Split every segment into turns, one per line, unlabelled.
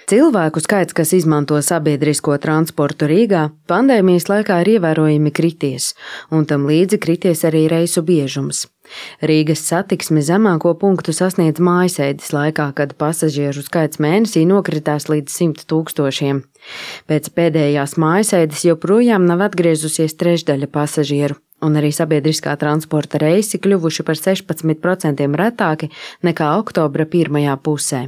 Cilvēku skaits, kas izmanto sabiedrisko transportu Rīgā, pandēmijas laikā ir ievērojami krities, un tam līdzi krities arī reisu biežums. Rīgas satiksme zemāko punktu sasniedz mājasēdes laikā, kad pasažieru skaits mēnesī nokritās līdz 100 000. Pēc pēdējās mājasēdes joprojām nav atgriezusies trešdaļa pasažieru, un arī sabiedriskā transporta reisi kļuvuši par 16% retāki nekā oktobra pirmajā pusē.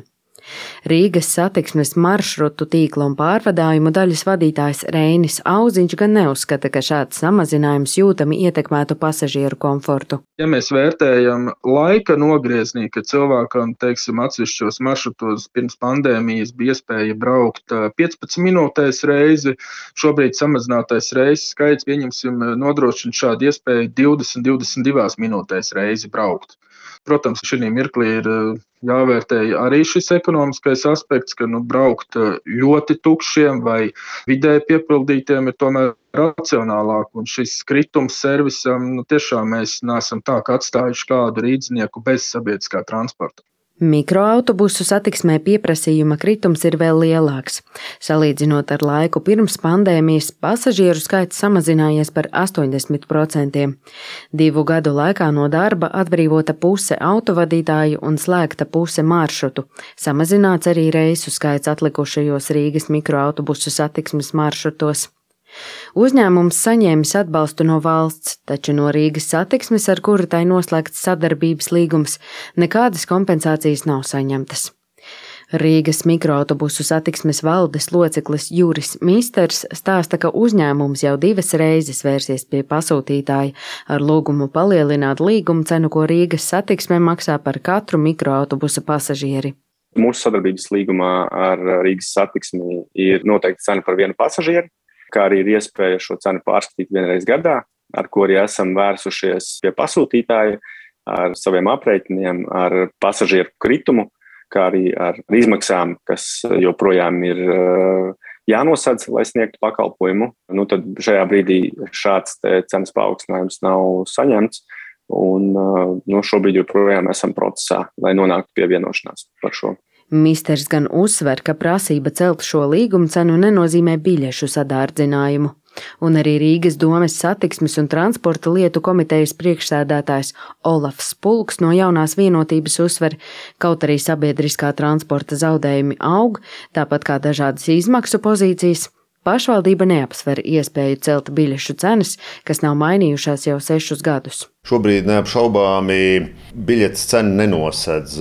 Rīgas satiksmes maršrutu tīkla un pārvadājumu daļas vadītājs Reinis Auziņš gan neuzskata, ka šāds samazinājums jūtami ietekmētu pasažieru komfortu.
Ja mēs vērtējam laika nogrieznī, ka cilvēkam, atsevišķos maršrutos pirms pandēmijas bija iespēja braukt 15 minūtēs reizi, šobrīd samazinātais reisu skaits, nodrošina šādu iespēju 20-22 minūtēs reizi braukt. Protams, šī mirklī ir jāvērtē arī šis ekonomiskais aspekts, ka braukt ļoti tukšiem vai vidēji piepildītiem ir tomēr racionālāk. Un šis kritums servisam, tiešām mēs neesam tā, ka atstājuši kādu rīdznieku bez sabiedriskā transporta.
Mikroautobusu satiksmē pieprasījuma kritums ir vēl lielāks. Salīdzinot ar laiku pirms pandēmijas, pasažieru skaits samazinājies par 80%. 2 gadu laikā no darba atbrīvota puse autovadītāju un slēgta puse maršrutu. Samazināts arī reisu skaits atlikušajos Rīgas mikroautobusu satiksmes maršrutos. Uzņēmums saņēmis atbalstu no valsts, taču no Rīgas satiksmes, ar kuru tai noslēgts sadarbības līgums, nekādas kompensācijas nav saņemtas. Rīgas mikroautobusu satiksmes valdes loceklis Juris Misters stāsta, ka uzņēmums jau 2 reizes vērsies pie pasūtītāja ar lūgumu palielināt līguma cenu, ko Rīgas satiksme maksā par katru mikroautobusa pasažieri.
Mūsu sadarbības līgumā ar Rīgas satiksmi ir noteikta cena par vienu pasažieri, kā arī ir iespēja šo cenu pārskatīt vienreiz gadā, ar ko arī esam vērsušies pie pasūtītāja ar saviem aprēķiniem, ar pasažieru kritumu, kā arī ar izmaksām, kas joprojām ir jānosedz, lai sniegtu pakalpojumu. Tad šajā brīdī šāds cenas paaugstinājums nav saņemts, un šobrīd joprojām esam procesā, lai nonāktu pie vienošanās par šo.
Misters gan uzsver, ka prasība celt šo līguma cenu nenozīmē biļešu sadārdzinājumu. Un arī Rīgas domes satiksmes un transporta lietu komitejas priekšsēdētājs Olafs Pulks no jaunās vienotības uzsver, kaut arī sabiedriskā transporta zaudējumi aug, tāpat kā dažādas izmaksu pozīcijas, pašvaldība neapsver iespēju celt biļešu cenas, kas nav mainījušās jau 6 gadus.
Šobrīd neapšaubāmi biļetes cena nenosedz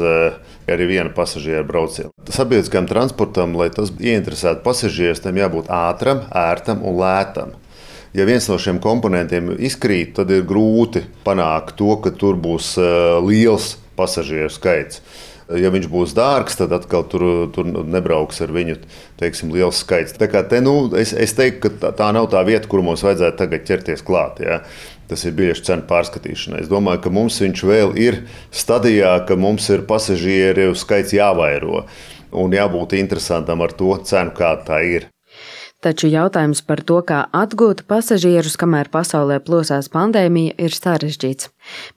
arī viena pasažiera brauciena. Sabiedriskajam transportam, lai tas ieinteresētu pasažierus, tam jābūt ātram, ērtam un lētam. Ja viens no šiem komponentiem izkrīt, tad ir grūti panākt to, ka tur būs liels pasažieru skaits. Ja viņš būs dārgs, tad atkal tur nebrauks ar viņu, liels skaits. Tā kā es teiktu, ka tā nav tā vieta, kur mums vajadzētu tagad ķerties klāt. Ja? Tas ir biļešu cenu pārskatīšana. Es domāju, ka mums viņš vēl ir stadijā, ka mums ir pasažieru skaits jāvairo un jābūt interesantam ar to cenu, kāda tā ir.
Taču jautājums par to, kā atgūt pasažierus, kamēr pasaulē plosās pandēmija, ir sarežģīts.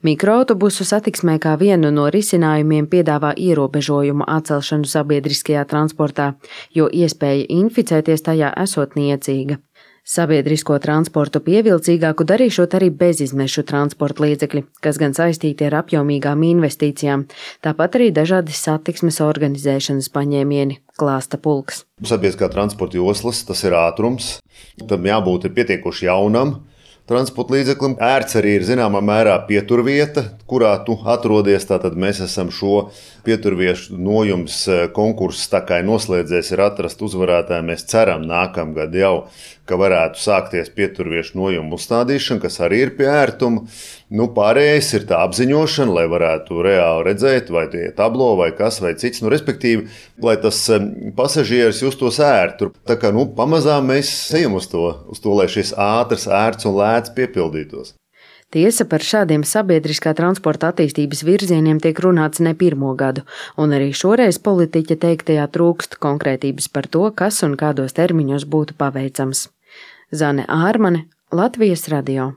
Mikroautobusu satiksmē kā vienu no risinājumiem piedāvā ierobežojumu atcelšanu sabiedriskajā transportā, jo iespēja inficēties tajā esot niecīga. Sabiedrisko transportu pievilcīgāku darīšot arī bezizmešu transporta līdzekļi, kas gan saistīti ar apjomīgām investīcijām, tāpat arī dažādi satiksmes organizēšanas paņēmieni, klāsta Pulks.
Sabiedriskā transporta joslas, tas ir ātrums, tam jābūt pietiekoši jaunam transporta līdzeklim. Ērts arī ir zināmā mērā pieturvieta, kurā tu atrodies. Tātad mēs esam šo pieturviešu nojums konkursu tā kā noslēdzies, ir atrast uzvarētāju. Mēs ceram nākamgad jau, ka varētu sākties pieturviešu nojumu uzstādīšana, kas arī ir pie ērtuma. Pārējais ir tā apziņošana, lai varētu reāli redzēt, vai tie tablo, vai kas, vai cits. Respektīvi, lai tas pasažieris justos ērtu. Tā kā pamazām mēs ejam uz to, lai šis ātrs, ērts un lēts piepildītos.
Tiesa, par šādiem sabiedriskā transporta attīstības virzieniem tiek runāts ne 1. gadu, un arī šoreiz politiķa teiktajā trūkst konkrētības par to, kas un kādos termiņos būtu paveicams. Zane Ārmane, Latvijas radio.